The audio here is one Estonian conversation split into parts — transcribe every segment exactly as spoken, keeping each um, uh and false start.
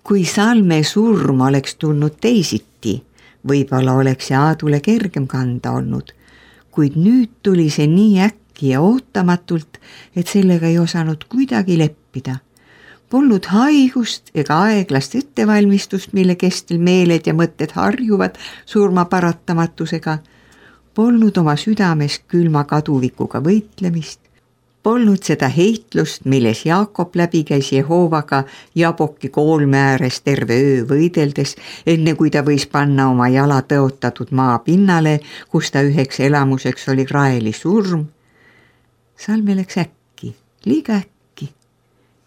Kui Salme surm oleks tulnud teisiti, võib-olla oleks see Aadule kergem kanda olnud, kuid nüüd tuli see nii äkki ja ootamatult, et sellega ei osanud kuidagi leppida. Polnud haigust ega aeglast ettevalmistust, mille kestel meeled ja mõtted harjuvad surma paratamatusega. Polnud oma südames külma kaduvikuga võitlemist. Polnud seda heitlust, milles Jaakob läbi käis Jehoovaga Jaboki koolme ääres terve öö võideldes, enne kui ta võis panna oma jala tõotatud maa pinnale, kus ta üheks elamuseks oli Raeli surm. Salme läks äkki, liiga äkki.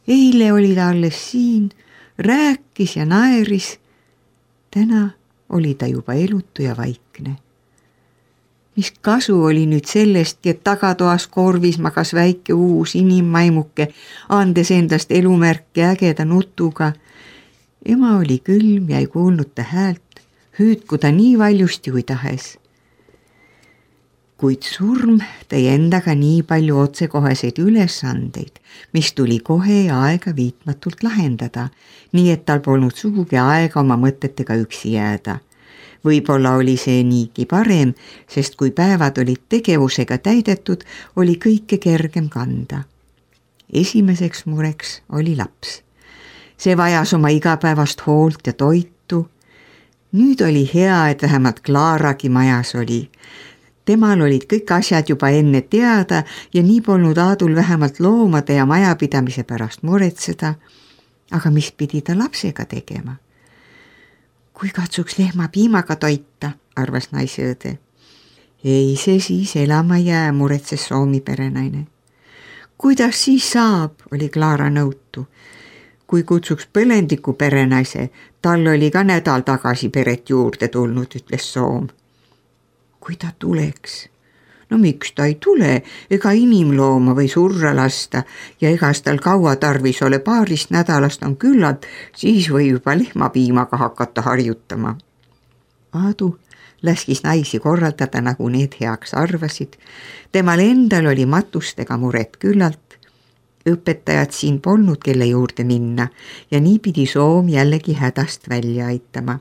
Eile oli ta alles siin, rääkis ja naeris. Täna oli ta juba elutu ja vaikne. Mis kasu oli nüüd sellest, et tagatoas korvis magas väike uus inimmaimuke, andes endast elumärke ägeda nutuga. Ema oli külm ja ei kuulnud ta häält, hüüdku ta nii valjusti kui tahes. Kuid surm tõi endaga nii palju otsekoheseid ülesandeid, mis tuli kohe ja aega viitmatult lahendada, nii et tal polnud sugugi aega oma mõtetega üksi jääda. Võib-olla oli see niigi parem, sest kui päevad olid tegevusega täidetud, oli kõike kergem kanda. Esimeseks mureks oli laps. See vajas oma igapäevast hoolt ja toitu. Nüüd oli hea, et vähemalt Klaaragi majas oli. Temal olid kõik asjad juba enne teada ja nii polnud Aadul vähemalt loomade ja majapidamise pärast muretseda. Aga mis pidi ta lapsega tegema? Kui katsuks lehma piimaga toita, arvas naisõõde. Ei see siis elama jää, muretses Soomi perenaine. Kuidas siis saab, oli Klaara nõutu. Kui kutsuks põlendiku perenaise, tal oli ka nädal tagasi peret juurde tulnud, ütles Soom. Kui ta tuleks? No miks ta ei tule, ega inimlooma või surra lasta ja egas tal kaua tarvis ole, paarist nädalast on küllalt, siis või juba lehmapiimaga hakata harjutama. Aadu läskis naisi korraldada, nagu need heaks arvasid. Temal endal oli matustega muret küllalt. Õpetajad siin polnud, kelle juurde minna ja nii pidi Soom jällegi hädast välja aitama.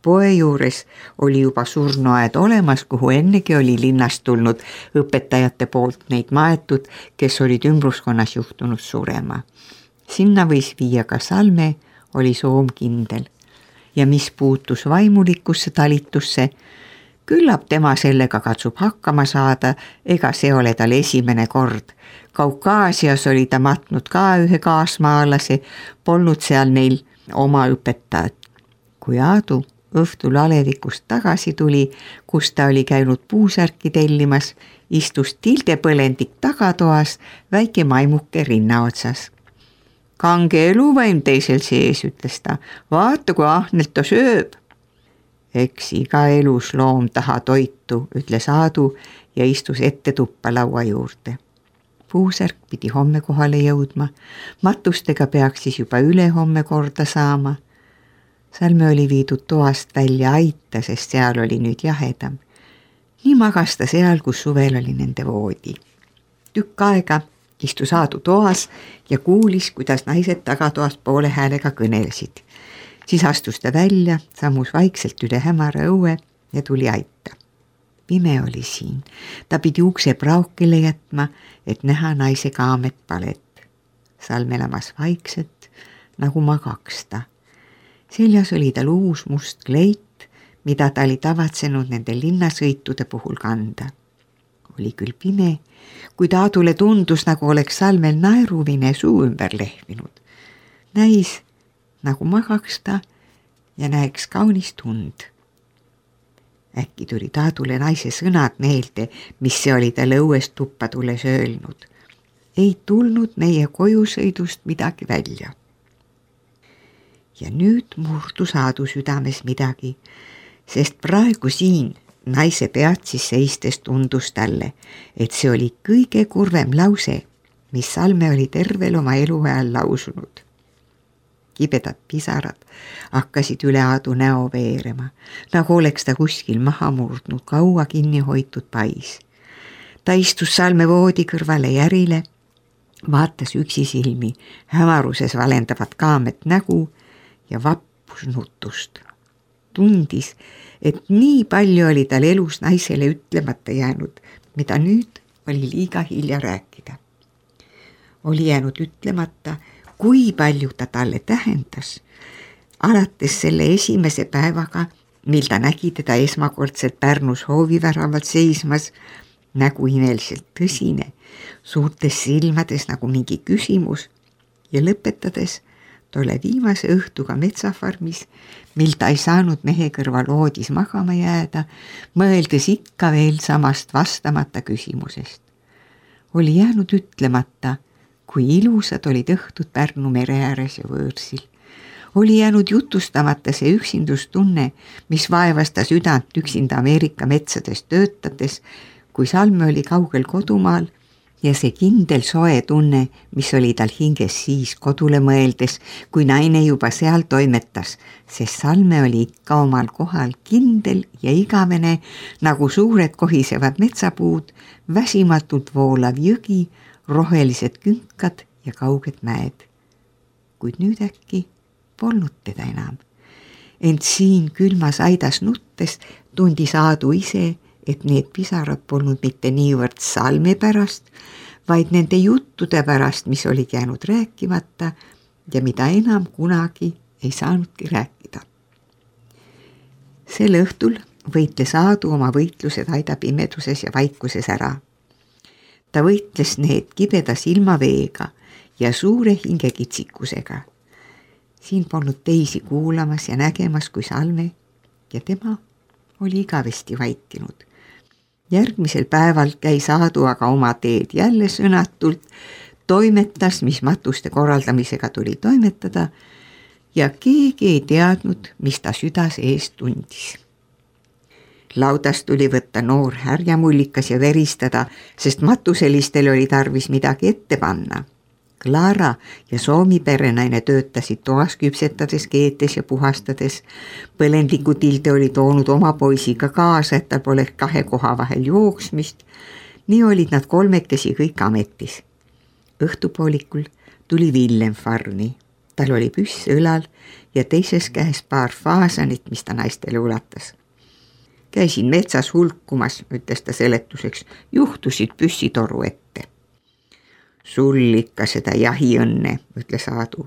Poe juures oli juba surnuaed olemas, kuhu ennegi oli linnast tulnud õpetajate poolt neid maetud, kes olid ümbruskonnas juhtunud surema. Sinna võis viia ka Salme, oli Soom kindel. Ja mis puutus vaimulikusse talitusse, küllap tema sellega katsub hakkama saada, ega see ole tal esimene kord. Kaukaasias oli ta matnud ka ühe kaasmaalase, polnud seal neil oma õpetajad. Kui Aadu õhtul alevikust tagasi tuli, kus ta oli käinud puusärki tellimas, istus tildepõlendik tagatoas väike maimuke rinna otsas. Kange eluvaim teisel sees, ütles ta, vaata kui ahnelt ta sööb. Eks iga elus loom taha toitu, ütles Aadu ja istus ette tuppa laua juurde. Puusärk pidi homme kohale jõudma, matustega peaks siis juba üle homme korda saama. Salme oli viidud toast välja aita, sest seal oli nüüd jahedam. Nii magas ta seal, kus suvel oli nende voodi. Tükk aega istus Aadu toas ja kuulis, kuidas naised tagatoast poole häälega kõnelesid. Siis astus ta välja, sammus vaikselt üle hämara õue ja tuli aita. Pime oli siin. Ta pidi ukse praukile jätma, et näha naise kaamet palet. Salme lamas vaikselt, nagu magaks ta. Seljas oli tal uus must kleit, mida ta oli tavatsenud nende linnasõitude puhul kanda. Oli küll pime, kuid Aadule tundus, nagu oleks Salmel naeruvine suu ümber lehvinud. Näis, nagu magaks ta ja näeks kaunist und. Äkki tuli Aadule naise sõnad meelde, mis see oli talle õuest tuppa tulles öelnud. Ei tulnud meie kojusõidust midagi välja. Ja nüüd murdus Aadu südames midagi, sest praegu siin naise peatsis seistes tundus talle, et see oli kõige kurvem lause, mis Salme oli tervel oma eluajal lausunud. Kibedad pisarad hakkasid üle Aadu näo veerema, nagu oleks ta kuskil maha murdnud kaua kinni hoitud pais. Ta istus Salme voodi kõrvale järile, vaatas üksi silmi hämaruses valendavat kaamet nägu ja vappus nutust. Tundis, et nii palju oli tal elus naisele ütlemata jäänud, mida nüüd oli liiga hilja rääkida. Oli jäänud ütlemata, kui palju ta talle tähendas, alates selle esimese päevaga, mil ta nägi teda esmakordselt Pärnus hooviväravalt seismas, nägu imeliselt tõsine, suurtes silmades nagu mingi küsimus ja lõpetades tolle viimase õhtuga metsafarmis, mil ta ei saanud mehe kõrval voodis magama jääda, mõeldes ikka veel samast vastamata küsimusest. Oli jäänud ütlemata, kui ilusad olid õhtud Pärnu mere ääres ja võõrsil. Oli jäänud jutustamata see üksindustunne, mis vaevas ta südant üksinda Ameerika metsades töötades, kui Salme oli kaugel kodumaal, ja see kindel soe tunne, mis oli tal hinges siis kodule mõeldes, kui naine juba seal toimetas, sest Salme oli ikka omal kohal kindel ja igavene, nagu suured kohisevad metsapuud, väsimatult voolav jõgi, rohelised künkad ja kauged mäed. Kuid nüüd äkki polnud teda enam. Ent siin külmas aidas nuttes tundis Aadu ise, et need pisarad polnud mitte niivõrd Salme pärast, vaid nende juttude pärast, mis olid jäänud rääkimata ja mida enam kunagi ei saanudki rääkida. Sel õhtul võitles Aadu oma võitlused aida pimeduses ja vaikuses ära. Ta võitles need kibeda silmaveega ja suure hingekitsikusega. Siin polnud teisi kuulamas ja nägemas kui Salme ja tema oli igavesti vaikinud. Järgmisel päeval käis Aadu aga oma teed jälle sõnatult, toimetas, mis matuste korraldamisega tuli toimetada ja keegi ei teadnud, mis ta südas eest tundis. Laudast tuli võtta noor härjamullikas ja veristada, sest matuselistel oli tarvis midagi ette panna. Klaara ja Soomi perenaine töötasid toas küpsetades, keetes ja puhastades. Põlendiku Tilde oli toonud oma poisiga kaasa, et tal pole kahe koha vahel jooksmist. Nii olid nad kolmekesi kõik ametis. Õhtupoolikul tuli Villem farmi. Tal oli püss õlal ja teises käes paar faasanit, mis ta naistele ulatas. Käisin metsas hulkumas, ütles ta seletuseks, juhtusid püssitoru ette. Sul ikka seda jahiõnne, ütles Aadu.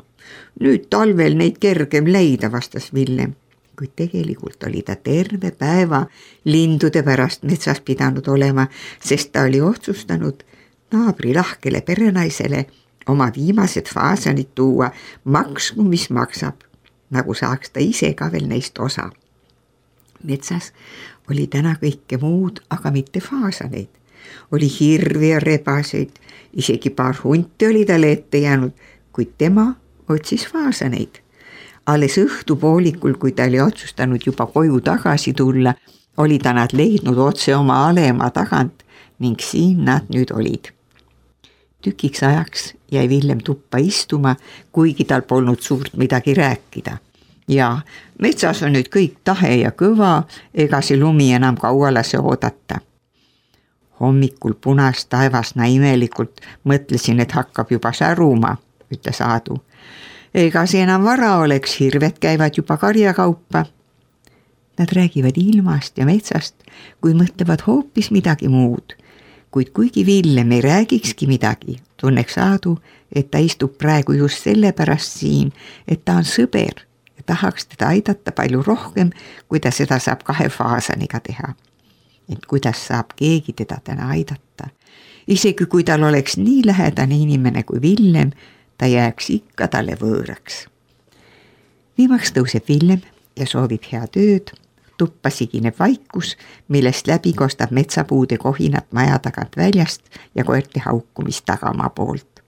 Nüüd talvel neid kergem leida, vastas Villem, kuid tegelikult oli ta terve päeva lindude pärast metsas pidanud olema, sest ta oli otsustanud naabri lahkele perenaisele oma viimased faasanid tuua, maksku mis maksab, nagu saaks ta ise ka veel neist osa. Metsas oli täna kõike muud, aga mitte faasaneid. Oli hirvi ja rebaseid, isegi paar hunti oli talle ette jäänud, kuid tema otsis faasaneid. Alles õhtupoolikul, kui ta oli otsustanud juba koju tagasi tulla, oli ta nad leidnud otse oma alema tagant ning siin nad nüüd olid. Tükiks ajaks jäi Villem tuppa istuma, kuigi tal polnud suurt midagi rääkida. Ja metsas on nüüd kõik tahe ja kõva, ega see lumi enam kaua lase oodata. Hommikul punas taevasna imelikult mõtlesin, et hakkab juba säruma, ütles Aadu. Ega see enam vara oleks, hirved käivad juba karjakaupa. Nad räägivad ilmast ja metsast, kui mõtlevad hoopis midagi muud. Kuid kuigi Villem ei räägikski midagi, tunneks Aadu, et ta istub praegu just sellepärast siin, et ta on sõber ja tahaks teda aidata palju rohkem, kui ta seda saab kahe faasaniga teha. Et kuidas saab keegi teda täna aidata. Isegi kui tal oleks nii lähedane inimene kui Villem, ta jääks ikka talle võõraks. Viimaks tõuseb Villem ja soovib hea tööd. Tuppa sigineb vaikus, millest läbi kostab metsapuude kohinat maja tagant väljast ja koerte haukumist tagamaa poolt.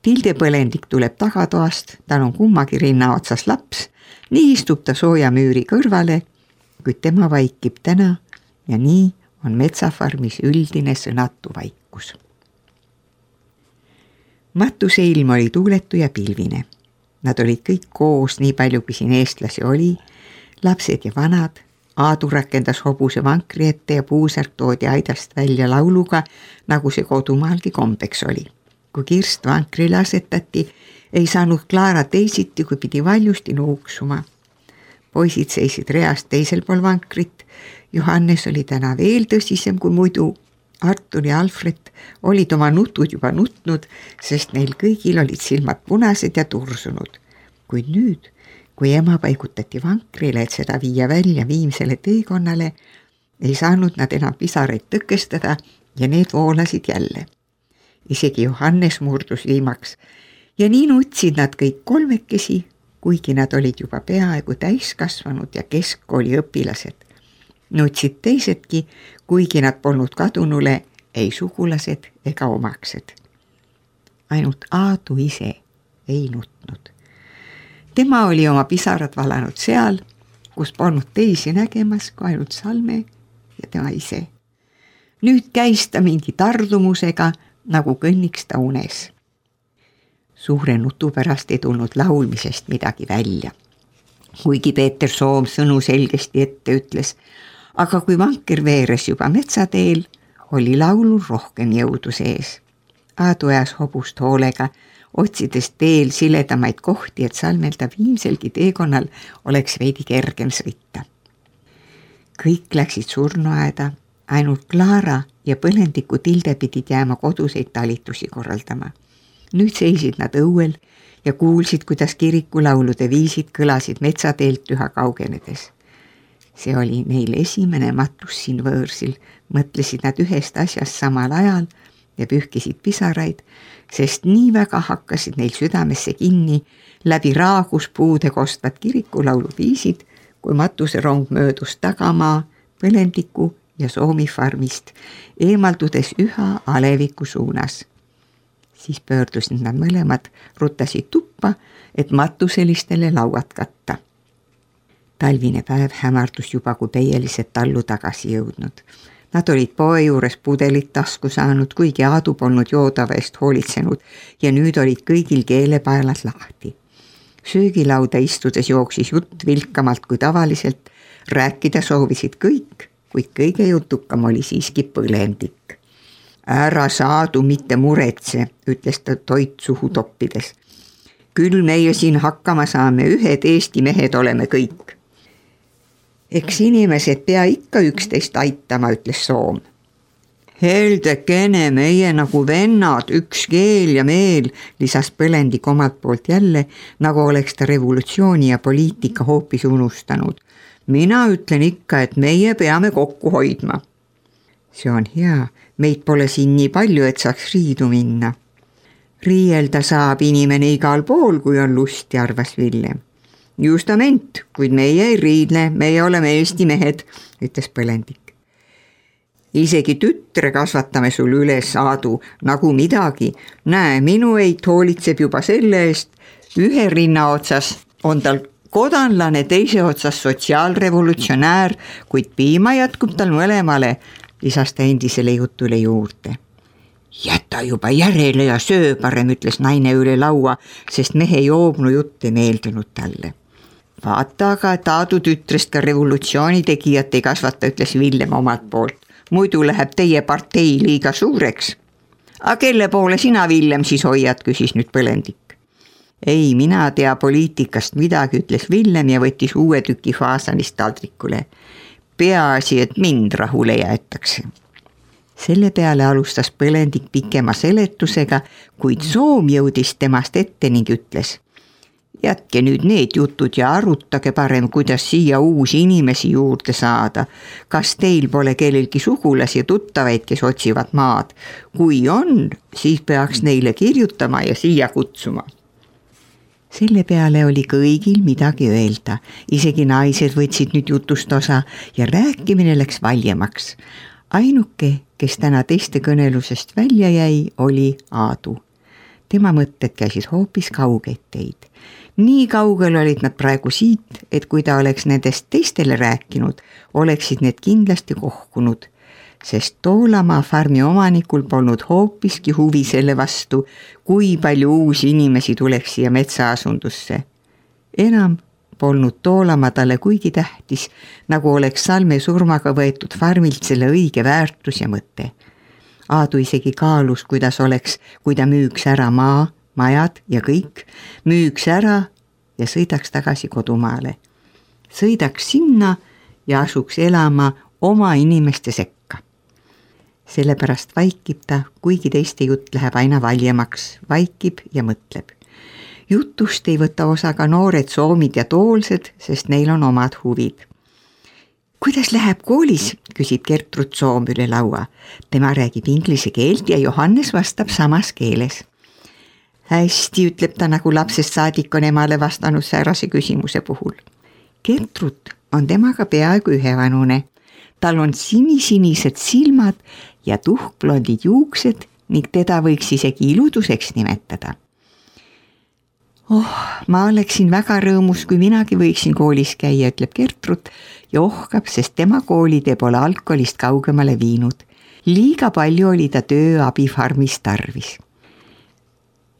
Tilde põlendik tuleb tagatoast, tal on kummagi rinna otsas laps, nii istub ta sooja müüri kõrvale, kuid tema vaikib täna ja nii on metsafarmis üldine sõnatu vaikus. Matuse ilm oli tuuletu ja pilvine. Nad olid kõik koos, nii palju kui siin eestlasi oli, lapsed ja vanad. Aadu rakendas hobuse vankri ette ja puusärk toodi aidast välja lauluga, nagu see kodumaalgi kombeks oli. Kui kirst vankrile asetati, Ei saanud Klaara teisiti, kui pidi valjusti nuuksuma. Poisid seisid reast teisel pool vankrit. Johannes oli täna veel tõsisem kui muidu. Artur ja Alfred olid oma nutud juba nutnud, sest neil kõigil olid silmad punased ja tursunud. Kuid nüüd, kui ema paigutati vankrile, et seda viia välja viimsele teekonnale, ei saanud nad enam pisaraid tõkestada ja need voolasid jälle. Isegi Johannes murdus viimaks ja nii nutsid nad kõik kolmekesi, kuigi nad olid juba peaaegu täiskasvanud ja keskkooli õpilased. Nutsid teisedki, kuigi nad polnud kadunule ei sugulased ega omaksed. Ainult Aadu ise ei nutnud. Tema oli oma pisarad valanud seal, kus polnud teisi nägemas kui ainult Salme ja tema ise. Nüüd käis ta mingi tardumusega, nagu kõnniks ta unes. Suure nutu pärast ei tulnud laulmisest midagi välja. Kuigi Peeter Soom sõnu selgesti ette ütles, aga kui vanker veeres juba metsateel, oli laulul rohkem jõudu sees. Aadu ajas hobust hoolega, otsides teel siledamaid kohti, et Salmelda viimselgi teekonnal oleks veidi kergem sõita. Kõik läksid surnuaeda, ainult Klaara ja põlendiku Tilde pidid jääma koduseid talitusi korraldama. Nüüd seisid nad õuel ja kuulsid, kuidas kirikulaulude viisid kõlasid metsateelt üha kaugenedes. See oli neil esimene matus siin võõrsil, mõtlesid nad ühest asjast samal ajal ja pühkisid pisaraid, sest nii väga hakkasid neil südamesse kinni läbi raagus puude kostvad kirikulaulu viisid, kui matuserong möödus tagamaa, põlendiku ja Soomi farmist, eemaldudes üha aleviku suunas. Siis pöördusid nad mõlemad, ruttasid tuppa, et matuselistele lauad katta. Talvine päev hämardus juba, kui peielised tallu tagasi jõudnud. Nad olid poe juures pudelit tasku saanud, kuigi Aadu polnud joodava eest hoolitsenud ja nüüd olid kõigil keelepaelad lahti. Söögilauda istudes jooksis jutt vilkamalt kui tavaliselt, rääkida soovisid kõik, kuid kõige jutukam oli siiski põlendik. Ära Saadu mitte muretse, ütles ta toit suhu toppides. Küll meie siin hakkama saame, ühed Eesti mehed oleme kõik. Eks inimesed pea ikka üksteist aitama, ütles Soom. Heldekene, meie nagu vennad, üks keel ja meel, lisas põlendik omalt poolt jälle, nagu oleks ta revolutsiooni ja poliitika hoopis unustanud. Mina ütlen ikka, et meie peame kokku hoidma. See on hea, meid pole siin nii palju, et saaks riidu minna. Riielda saab inimene igal pool, kui on lusti, arvas Villem. Justament, kuid meie ei riidle, meie oleme Eesti mehed, ütles põlendik. Isegi tütre kasvatame sul üles, Aadu, nagu midagi. Näe, minu eit hoolitseb juba selle eest. Ühe rinna otsas on tal kodanlane, teise otsas sotsiaalrevolutsionäär, kuid piima jätkub tal mõlemale, lisas ta endisele jutule juurde. Jäta juba järele ja söö parem, ütles naine üle laua, sest mehe joobnu jutt ei meeldunud talle. Vaata aga, et Aadu tütrest ka revolutsiooni tegijat ei kasvata, ütles Villem omalt poolt. Muidu läheb teie partei liiga suureks. Aga kelle poole sina, Villem, siis hoiad, küsis nüüd põlendik. Ei, mina tea poliitikast midagi, ütles Villem ja võttis uue tüki faasanist taldrikule. Peaasi, et mind rahule jäetakse. Selle peale alustas põlendik pikema seletusega, kuid Soom jõudis temast ette ning ütles. Jätke nüüd need jutud ja arutage parem, kuidas siia uusi inimesi juurde saada. Kas teil pole kellelgi sugulasi ja tuttavaid, kes otsivad maad? Kui on, siis peaks neile kirjutama ja siia kutsuma. Selle peale oli kõigil midagi öelda. Isegi naised võtsid nüüd jutust osa ja rääkimine läks valjemaks. Ainuke, kes täna teiste kõnelusest välja jäi, oli Aadu. Tema mõtted käisid hoopis kaugeid teid. Nii kaugel olid nad praegu siit, et kui ta oleks nendest teistele rääkinud, oleksid need kindlasti kohkunud, sest Toolamaa farmi omanikul polnud hoopiski huvi selle vastu, kui palju uusi inimesi tuleks siia metsaasundusse. Enam polnud Toolamaa talle kuigi tähtis, nagu oleks Salme surmaga võetud farmilt selle õige väärtus ja mõte. Aadu isegi kaalus, kuidas oleks, kui ta müüks ära maa majad ja kõik müüks ära ja sõidaks tagasi kodumaale. Sõidaks sinna ja asuks elama oma inimeste sekka. Sellepärast vaikib ta, kuigi teiste jutt läheb aina valjemaks, vaikib ja mõtleb. Jutust ei võta osa ka noored soomid ja toolsed, sest neil on omad huvid. Kuidas läheb koolis, küsib Gertrud Soom üle laua. Tema räägib inglise keelt ja Johannes vastab samas keeles. Hästi, ütleb ta, nagu lapsest saadik on emale vastanud säärase küsimuse puhul. Gertrud on temaga peaaegu ühevanune. Tal on sinisinised silmad ja tuhkblondid juuksed ning teda võiks isegi iluduseks nimetada. Oh, ma oleksin väga rõõmus, kui minagi võiksin koolis käia, ütleb Gertrud ja ohkab, sest tema koolitee pole algkoolist kaugemale viinud. Liiga palju oli ta tööabifarmis tarvis.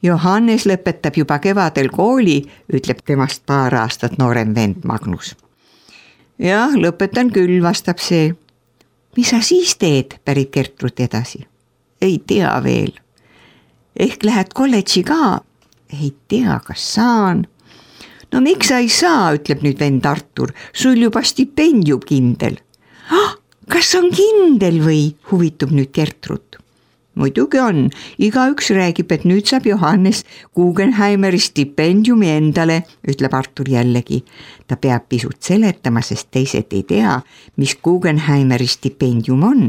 Johannes lõpetab juba kevadel kooli, ütleb temast paar aastat noorem vend Magnus. Jah, lõpetan küll, vastab see. Mis sa siis teed, pärib Gertrud edasi? Ei tea veel. Ehk lähed kolledži ka? Ei tea, kas saan. No miks sa ei saa, ütleb nüüd vend Artur, sul juba stipendium kindel. Ah, kas on kindel või, huvitub nüüd Gertrud. Muidugi on, igaüks räägib, et nüüd saab Johannes Guggenheimeri stipendiumi endale, ütleb Artur jällegi. Ta peab pisut seletama, sest teised ei tea, mis Guggenheimeri stipendium on,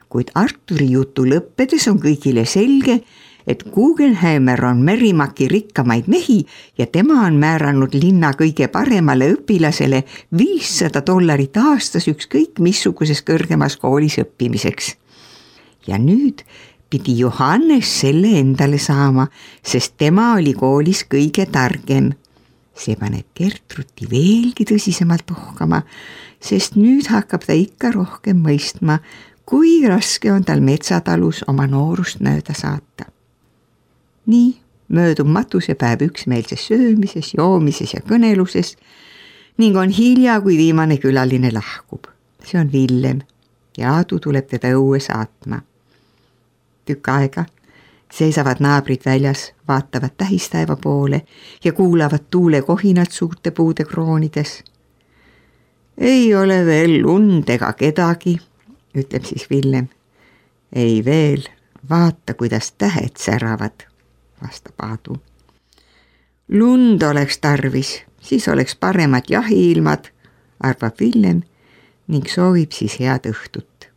kuid Arturi jutu lõppedes on kõigile selge, et Guggenheimer on Merrimaki rikkamaid mehi ja tema on määranud linna kõige paremale õpilasele viissada dollarit aastas ükskõik missuguses kõrgemas koolis õppimiseks. Ja nüüd pidi Johannes selle endale saama, sest tema oli koolis kõige targem. See paneb Gertrudi veelgi tõsisemalt ohkama, sest nüüd hakkab ta ikka rohkem mõistma, kui raske on tal metsatalus oma noorust mööda saata. Nii möödub matusepäev üksmeelses söömises, joomises ja kõneluses ning on hilja, kui viimane külaline lahkub. See on Villem ja Aadu tuleb teda õue saatma. Tükk aega seisavad naabrid väljas, vaatavad tähistaeva poole ja kuulavad tuule kohinat suurte puude kroonides. Ei ole veel lund ega kedagi, ütleb siis Villem. Ei veel, vaata, kuidas tähed säravad, vastab Aadu. Lund oleks tarvis, siis oleks paremad jahiilmad, arvab Villem ning soovib siis head õhtut.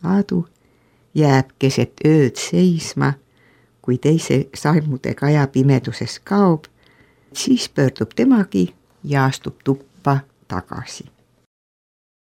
Aadu jääb keset ööd seisma, kui teise saimude kaja pimeduses kaob, siis pöördub temagi ja astub tuppa tagasi.